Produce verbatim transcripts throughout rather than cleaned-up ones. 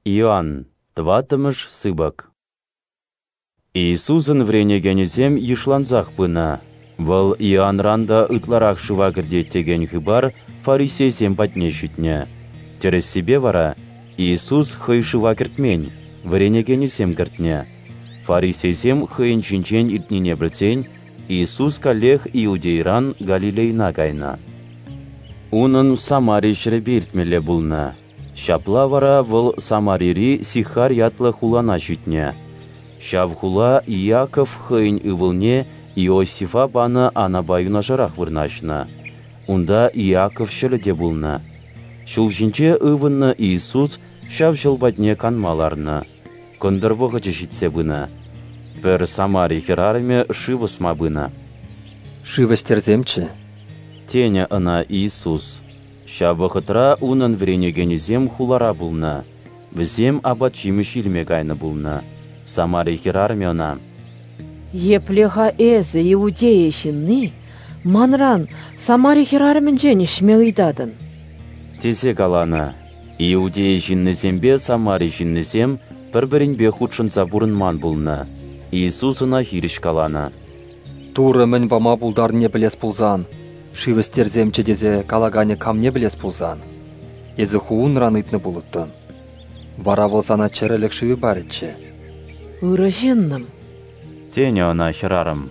Иоанн, тӑваттӑмӗш сыпӑк. Иисусӑн вӗренекенӗсем йышлансах пынӑ. Вӑл Иоанран та ытларах шыва кӗртет текен хыпар фарисейсем патне ҫитнӗ. Тӗрӗссипе вара Иисус хӑй шыва кӗртмен, вӗренекенӗсем кӗртнӗ. Фарисейсем хӑйӗн ҫинчен илтнине пӗлсен Иисус каллех Иудейӑран Галилейӑна кайнӑ. Унӑн Самари ҫӗрӗпе иртмелле пулнӑ. Ҫапла вара вӑл Самарири Сихарь ятлӑ хулана ҫитнӗ. Ҫав хула Иаков хӑйӗн ывӑлне Иосифа панӑ анапа юнашарах вырнаҫнӑ. Унта Иаков ҫӑлӗ те пулнӑ. Ҫул ҫинче ывӑннӑ Иисус ҫав ҫӑл патне канма ларнӑ. Кӑнтӑр вӑхӑчӗ ҫитсе пынӑ. Пӗр Самари хӗрарӑмӗ шыв ӑсма пынӑ. «Шыв ӗҫтерсемччӗ», тенӗ ӑна Иисус. Ҫав вӑхӑтра унӑн вӗренекенӗсем хулара пулнӑ. Вӗсем апат-ҫимӗҫ илме кайнӑ пулнӑ. Самари хӗрарӑмӗ ӑна: «Епле-ха эсӗ, Иудея ҫынни, манран, Самари хӗрарӑмӗнчен, ӗҫме ыйтатӑн?» тесе каланӑ. Иудея ҫыннисемпе Самари ҫыннисем пӗр-пӗринпе хутшӑнса пурӑнман пулнӑ. Иисус ӑна хирӗҫ каланӑ: «Турӑ мӗн пама пултарнине пӗлес пулсан, шыв ӗҫтерсемччӗ тесе калаканӗ камне пӗлес пулсан, эсӗ ху унран ыйтнӑ пулӑттӑн. Вара вӑл сана чӗрӗлӗх шывӗ парӗччӗ». «Ырӑ ҫыннӑм, тенӗ ӑна хӗрарӑм,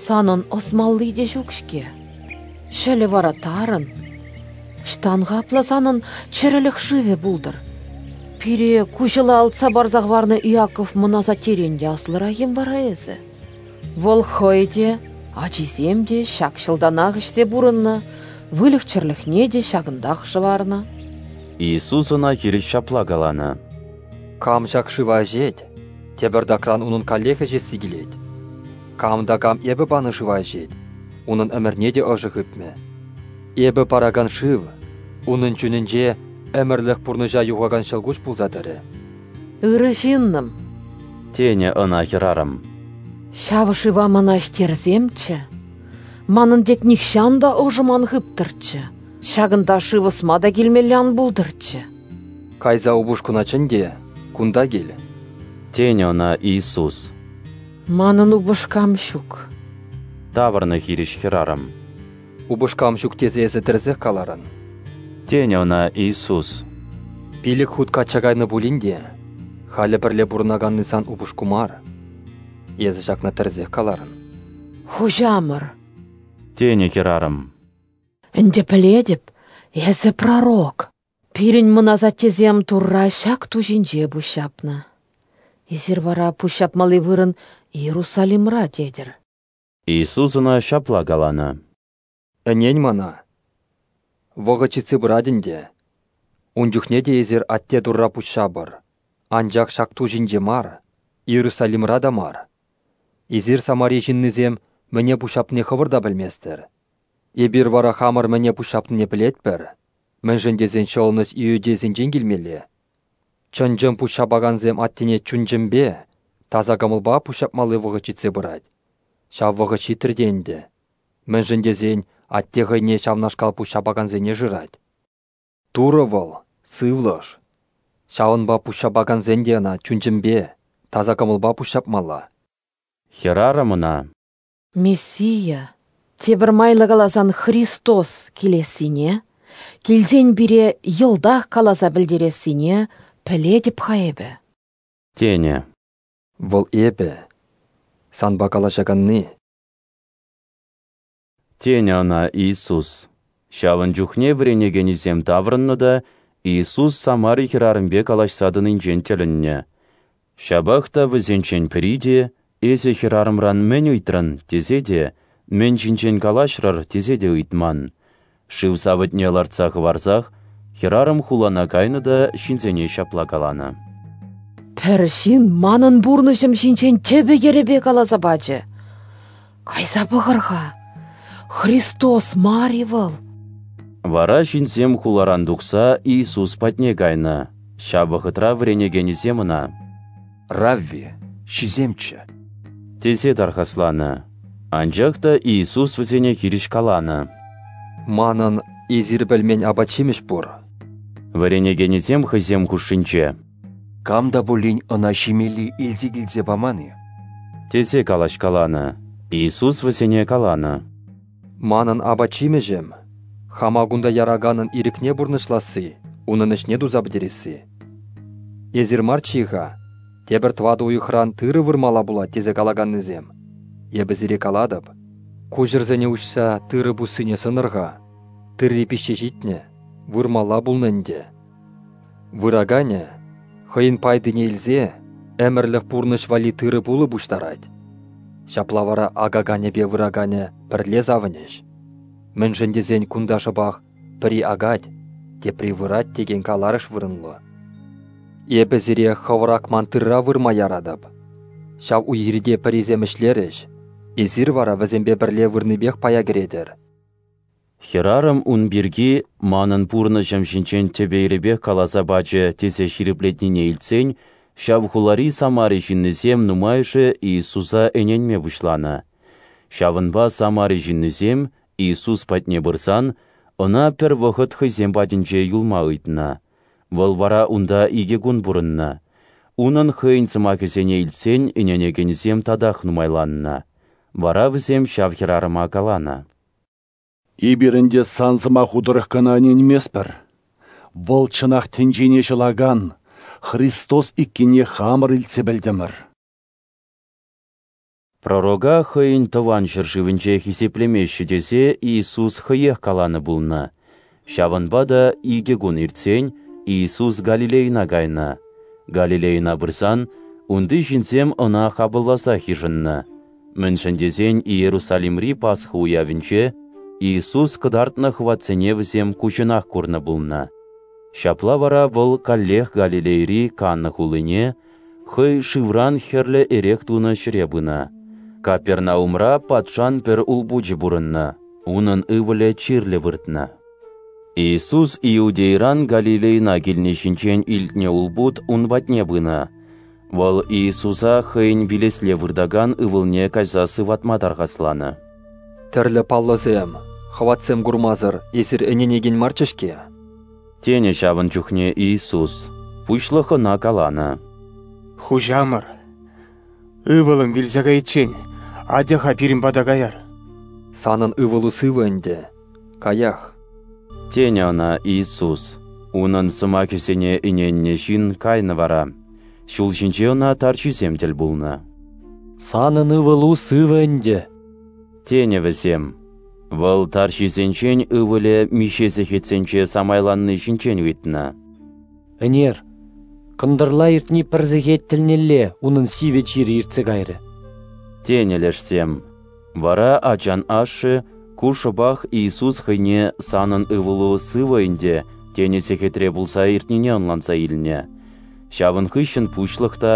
санӑн ӑсмалли те ҫук-ҫке, ҫӑлӗ вара тарӑн. Ӑҫтан-ха апла санӑн чӗрӗлӗх шывӗ пултӑр? Пире ку ҫӑла алтса парса хӑварнӑ Иаков мӑн асаттерен те аслӑрах-им вара эсӗ? Вӑл хӑй те, ачисем те ҫак ҫӑлтанах ӗҫсе пурӑннӑ, выльӑх-чӗрлӗхне те ҫакӑнтах шӑварнӑ». Иисус ӑна хирӗҫ ҫапла каланӑ: «Кам ҫак шыва ӗҫет, тепӗртакран унӑн каллех ӗҫесси килет. Кам та кам эпӗ панӑ шыва ӗҫет, унӑн ӗмӗрне те ӑшӗ хыпмӗ. Эпӗ паракан шыв унӑн чунӗнче ӗмӗрлӗх пурнӑҫа юхакан ҫӑлкуҫ пулса тӑрӗ». «Ырӑ ҫыннӑм, тенӗ ӑна хӗрарӑм, ҫав шыва мана ӗҫтерсемччӗ, манӑн тек нихҫан та ӑшӑм ан хыптӑрччӗ, ҫакӑнта шыв ӑсма та килмелле ан пултӑрччӗ». «Кайса упӑшкуна чӗн те кунта кил», тенӗ ӑна Иисус. «Манӑн упӑшкам ҫук», тавӑрнӑ хирӗҫ хӗрарӑм. «Упӑшкам ҫук тесе эсӗ тӗрӗсех каларӑн», тенӗ ӑна Иисус. «Пилӗк хут качча кайнӑ пулин те, халӗ пӗрле пурӑнаканни сан упӑшку мар. Эсӗ ҫакна тӗрӗсех каларӑн». «Хуҫамӑр, тенӗ хӗрарӑм, ӗнтӗ пӗлетӗп, эсӗ пророк. Пирӗн мӑн асаттесем Турра ҫак ту ҫинче пуҫҫапнӑ. Эсир вара пуҫҫапмалли вырӑн Иерусалимра тетӗр». Иисус ӑна ҫапла каланӑ: «Ӗнен мана, вӑхӑт ҫитсе пырать ӗнтӗ. Ун чухне те эсир Атте Турра пуҫҫапӑр, анчах ҫак ту ҫинче мар, Иерусалимра та мар. Эсир Самари ҫыннисем мӗне пуҫҫапнине хӑвӑр та пӗлместӗр. Эпир вара хамӑр мӗне пуҫҫапнине пӗлетпӗр, мӗншӗн тесен ҫӑлӑнӑҫ иудейсенчен килмелле. Чӑн-чӑн пуҫҫапакансем Аттене чун-чӗмпе, таса кӑмӑлпа пуҫҫапмалли вӑхӑт ҫитсе пырать. Ҫав вӑхӑт ҫитрӗ те ӗнтӗ, мӗншӗн тесен Атте хӑйне ҫавнашкал пуҫҫапакансене шырать. Турӑ вӑл сывлӑш, ҫавӑнпа пуҫҫапакансен те ӑна чун-чӗмпе, таса кӑмӑлпа пуҫҫапмалла». Хӗрарӑм ӑна: «Мессия, тепӗр майлӑ каласан Христос килессине, килсен пире йӑлтах каласа пӗлтерессине пӗлетӗп-ха эпӗ», тенӗ. «Вӑл эпӗ, санпа калаҫаканни», тенӗ ӑна Иисус. Ҫавӑн чухне вӗренекенӗсем таврӑннӑ та Иисус Самари хӗрарӑмпе калаҫса тӑнинчен тӗлӗннӗ. Ҫапах та вӗсенчен пӗри те «Эсӗ хӗрарӑмран мӗн ыйтрӑн?» тесе те, «Мӗн ҫинчен калаҫрӑр?» тесе те ыйтман. Шыв савӑтне лартса хӑварсах хӗрарӑм хулана кайнӑ та ҫынсене ҫапла каланӑ: «Пӗр ҫын манӑн пурнӑҫӑм ҫинчен тӗпӗ-йӗрӗпе каласа пачӗ. Кайса пӑхӑр-ха, Христос мар-и вӑл?» Вара ҫынсем хуларан тухса Иисус патне кайнӑ. Ҫав вӑхӑтра вӗренекенӗсем ӑна: «Равви, ҫисемччӗ», тесе тархасланӑ. Анчах та Иисус вӗсене хирӗҫ каланӑ: «Манӑн эсир пӗлмен апат-ҫимӗҫ пур». Вӗренекенӗсем хӑйсем хушшинче: Кам та пулин ӑна ҫимелли илсе килсе паман-и? тесе калаҫкаланӑ. Иисус вӗсене каланӑ: Манӑн апат-ҫимӗҫӗм — хама кунта яраканӑн ирӗкне пурнӑҫласси, унӑн ӗҫне туса пӗтересси. Эсир марччӗ-и-ха, тепӗр тӑватӑ уйӑхран тырӑ вырмалла пулать тесе калаканнисем? Эпӗ сире калатӑп, куҫӑрсене уҫса тырӑ пуссине сӑнӑр-ха, тырри пиҫсе ҫитнӗ, вырмалла пулнӑ ӗнтӗ. Выраканӗ, хӑйӗн пайтине илсе, ӗмӗрлӗх пурнӑҫ валли тырӑ-пулӑ пуҫтарать. Ҫапла вара акаканӗпе выраканӗ пӗрле савӑнӗҫ. Мӗншӗн тесен кунта шӑпах пӗри акать, тепри вырать текен каларӑш вырӑнлӑ. Эпӗ сире хӑвӑр акман тырра вырма яратӑп. Ҫав уй-хирте пӗрисем ӗҫлерӗҫ, эсир вара вӗсемпе пӗрле вырнипех пая кӗретӗр. Хӗрарӑм ун пирки манӑн пурнӑҫӑм ҫинчен тӗпӗ-йӗрӗпех каласа пачӗ тесе ҫирӗплетнине илтсен ҫав хулари Самари ҫыннисем нумайӑшӗ Иисуса ӗненме пуҫланӑ. Ҫавӑнпа Самари ҫыннисем Иисус патне пырсан ӑна пӗр вӑхӑт хӑйсем патӗнче юлма ыйтнӑ. Вӑл вара унта икӗ кун пурӑннӑ. Унӑн хӑйӗн сӑмахӗсене илтсен ӗненекенсем татах нумайланнӑ. Вара вӗсем ҫав хӗрарӑма каланӑ: Эпир ӗнтӗ сан сӑмаху тӑрӑх кӑна ӗненместпӗр. Вӑл чӑнах тӗнчене ҫӑлакан Христос иккенне хамӑр илтсе пӗлтӗмӗр. Пророка хӑйӗн тӑван ҫӗршывӗнче хисеплемеҫҫӗ тесе Иисус хӑех каланӑ пулнӑ. Ҫавӑнпа та икӗ кун иртсен Иисус Галилейӑна кайнӑ. Галилейӑна пырсан унти ҫынсем ӑна хапӑлласах йышӑннӑ. Мӗншӗн тесен Иерусалимри Пасха уявӗнче Иисус кӑтартнӑ хӑватсене вӗсем куҫӑнах курнӑ пулнӑ. Ҫапла вара вӑл каллех Галилейӑри Канна хулине, хӑй шывран хӗрлӗ эрех тунӑ ҫӗре пынӑ. Капернаумра патшан пӗр улпучӗ пурӑннӑ, унӑн ывӑлӗ чирлӗ выртнӑ. Иисус Иудейӑран Галилейӑна килни ҫинчен илтнӗ улпут ун патне пынӑ. Вӑл Иисуса хӑйӗн вилесле выртакан ывӑлне кайса сыватма тархасланӑ. Тӗрлӗ паллӑсем, хӑватсем курмасӑр эсир ӗненекен марччӗ-ҫке. Тенӗ ҫавӑн чухне Иисус. Пуҫлӑх ӑна каланӑ: Хуҫамӑр, ывӑлӑм вилсе кайиччен атя-ха пирӗн пата каяр. Санӑн ывӑлу сывӑ ӗнтӗ, каях. Тенӗ ӑна Иисус. Унӑн сӑмахӗсене ӗненнӗ ҫын кайнӑ вара. Ҫул ҫинче ӑна тарҫисем тӗл пулнӑ. Санӑн ывӑлу сывӑ ӗнтӗ. Тенӗ вӗсем. Вӑл тарҫисенчен ывӑлӗ миҫе сехетсенче самайланни ҫинчен ыйтнӑ. Ӗнер, кӑнтӑрла иртни пӗр сехет тӗлнелле унӑн сивӗ чирӗ иртсе кайрӗ. Тенӗ лешсем. Вара ачан ашшӗ ку шӑпах Иисус хӑйне санӑн ывӑлу сывӑ ӗнтӗ тенӗ сехетре пулса иртнине ӑнланса илнӗ. Ҫавӑн хыҫҫӑн пуҫлӑх та,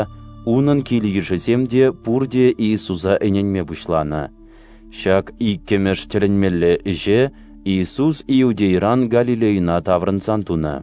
унӑн кил-йышӗсем те пурте Иисуса ӗненме пуҫланӑ. Ҫак иккӗмӗш тӗлӗнмелле ӗҫе Иисус Иудейӑран Галилейӑна таврӑнсан тунӑ.